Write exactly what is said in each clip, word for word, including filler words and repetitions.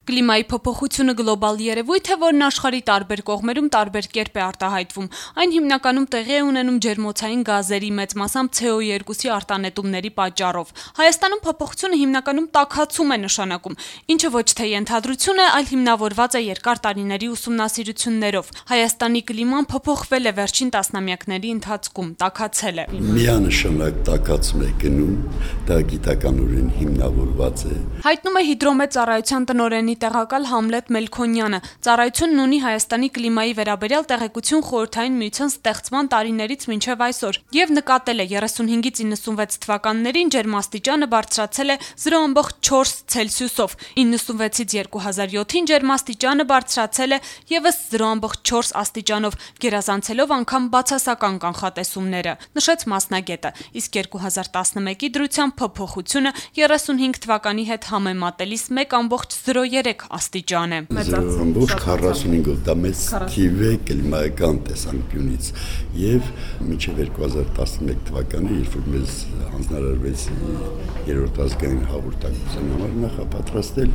Կլիմայի փոփոխությունը գլոբալ երևույթ է, որն աշխարհի տարբեր կողմերում տարբեր կերպ է արտահայտվում։ Այն հիմնականում տեղի է ունենում ջերմոցային գազերի, մեծ մասամբ C O two արտանետումների պատճառով։ Հայաստանում փոփոխությունը հիմնականում տաքացում է նշանակում, ինչը ոչ թե ենթադրություն է, այլ հիմնավորված է երկար տարիների ուսումնասիրություններով։ Հայաստանի կլիման փոփոխվել է վերջին տասնամյակների ընթացքում, տաքացել է։ Միանշանակ տաքացում է գնում, դա գիտականորեն հիմնավորված է։ Հայտնում է Հիդրոմետ ծառայության տնօրենի տեղակալ Համլետ Մելքոնյանը։ Ծառայությունն ունի Հայաստանի կլիմայի վերաբերյալ տեղեկություն Խորհրդային Միության ստեղծման տարիներից մինչև այսօր եւ նկատել է երեսունհինգից իննսունվեց թվականներին ջերմաստիճանը բարձրացել է zero point four Ցելսիուսով, իննսունվեցից երկու հազար յոթին ջերմաստիճանը բարձրացել է եւս zero point four աստիճանով, գերազանցելով անգամ բացասական կանխատեսումները, նշեց մասնագետը, իսկ երկու հազար տասնմեկի դրությամբ փոփոխությունը երեսունհինգ թվականի հետ համեմատելիս մեկ point zero three աստիճան է։ zero point forty-five-ով դա մեծ թիվ է կլիմայական տեսանկյունից եւ մինչեւ երկու հազար տասնմեկ թվականը, երբ որ մեզ հանձնարարվեց երրորդ ազգային հաղորդակցության համար նախապատրաստել,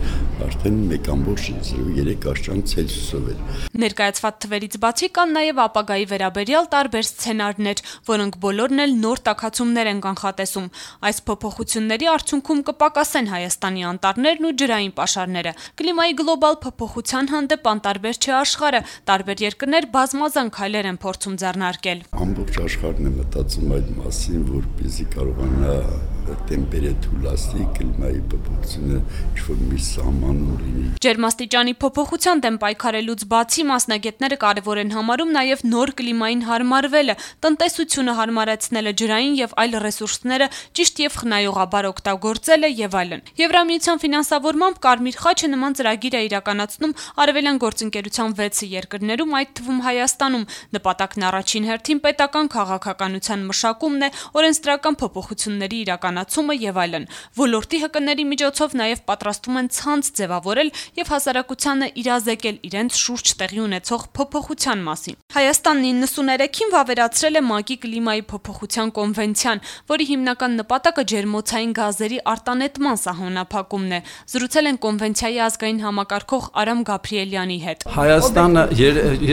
արդեն մեկ point zero three աստիճան Ցելսիուսով էր։ Ներկայացված թվերից բացի կան նաեւ ապագայի վերաբերյալ տարբեր սցենարներ, որոնք բոլորն էլ նոր տաքացումներ են կանխատեսում։ Այս փոփոխությունների արդյունքում կպակասեն Հայաստանի անտառներն ու ջրային պաշարները։ Կլիմայի գլոբալ փոփոխության հանդեպ անտարբեր չէ աշխարհը, տարբեր երկրներ բազմազան քայլեր են փորձում ձեռնարկել։ Ամբողջ աշխարհն է մտածում այդ մասին, որպեսզի կարողանա տեմպերատուրի կլիմայի փոփոխությունը ինչ-որ մի սահմանում լինի։ Ջերմաստիճանի փոփոխության դեմ պայքարելուց բացի մասնագետները կարևոր են համարում նաև նոր կլիմային հարմարվելը, տնտեսությունը հարմարեցնելը, ջրային եւ այլ ռեսուրսները ճիշտ եւ խնայողաբար օգտագործելը եւ այլն։ Եվրամիության ֆինանսավորմամբ Կարմիր խաչը նման ծրագիր է իրականացնում արևելյան գործընկերության վեց երկրներում, այդ թվում Հայաստանում։ Նպատակն առաջին հերթին պետական քաղաքականության մշակումն է, օրենսդրական փոփոխությունների իրականացումը եւ այլն։ Ոլորտի հկների միջոցով նաեւ պատրաստում են ցանց ձևավորել եւ հասարակությանը իրազեկել իրենց շուրջ տեղի ունեցող փոփոխության մասին։ Հայաստանն իննսուներեքին վավերացրել է ՄԱԿ-ի կլիմայի փոփոխության կոնվենցիան, որի հիմնական նպատակը ջերմոցային գազերի արտանետման սահմանափակումն է։ Զրուցել են կոնվենցիայի ազգային համակարգող Արամ Գաբրիելյանի հետ։ Հայաստանը,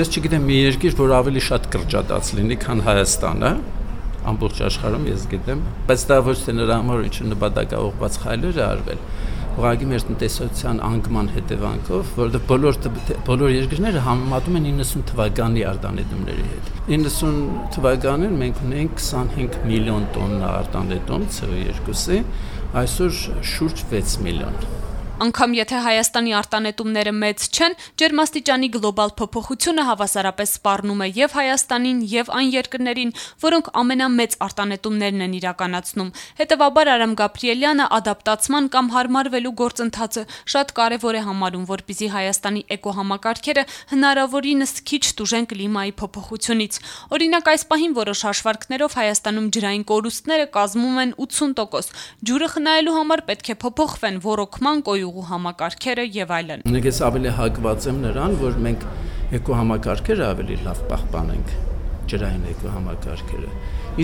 ես չգիտեմ մի երկիր, որ ավելի շատ կրճատած լինի, քան Հայաստանը, ամբողջ աշխարհում ես գիտեմ, բայց դա ոչ թե նրա համար ինչ նպատակաուղղված քայլեր է արվել։ Ուղղակի մեր տնտեսության անկման հետևանքով, որովհետև բոլոր բոլոր երկրները համեմատում են իննսուն թվականի արտանետումների հետ։ իննսուն թվականին մենք ունենք քսանհինգ միլիոն տոննա արտանետում C O two-ի, այսօր շուրջ վեց միլիոն։ Անկամ եթե Հայաստանի արտանետումները մեծ չեն, ջերմաստիճանի գլոբալ փոփոխությունը հավասարապես սպառնում է եւ Հայաստանին, եւ այն երկրներին, որոնք ամենամեծ արտանետումներն են իրականացնում։ Հետևաբար Արամ Գաբրիելյանը ադապտացման կամ հարմարվելու գործընթացը շատ կարեւոր է համարում, որպեսզի Հայաստանի էկոհամակարգերը հնարավորինս քիչ տուժեն կլիմայի փոփոխությունից։ Օրինակ, այս պահին որոշ հաշվարկներով Հայաստանում ջրային կորուստները կազմում են ութսուն տոկոս։ Ջուրը խնայելու համար պետք է փոփոխվեն ոռոգման կոյու համակարգերը եւ այլն։ Ես ավելի հակված եմ նրան, որ մենք էկոհամակարգերը ավելի լավ պահպանենք, ջրային էկոհամակարգերը։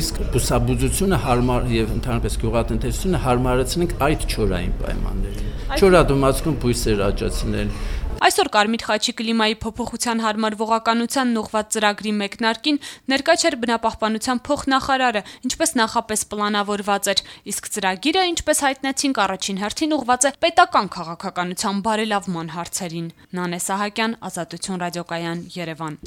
Իսկ բուսաբուծությունը հարմար եւ ընդհանրապես գյուղատնտեսությունը հարմարեցնենք այդ չորային պայմաններին։ Չորադիմացկուն բույսեր աճացնել։ Այսօր Կարմիր խաչի կլիմայի փոփոխության հարմարվողականության ուղղված ծրագրի մեկնարկին ներկա չէր բնապահպանության փոխնախարարը, ինչպես նախապես պլանավորված էր, իսկ ծրագիրը, ինչպես հայտնեցինք, առաջին հերթին ուղղված է պետական քաղաքականության բարելավման հարցերին։ Նանե Սահակյան, Ազատություն ռադիոկայան, Երևան։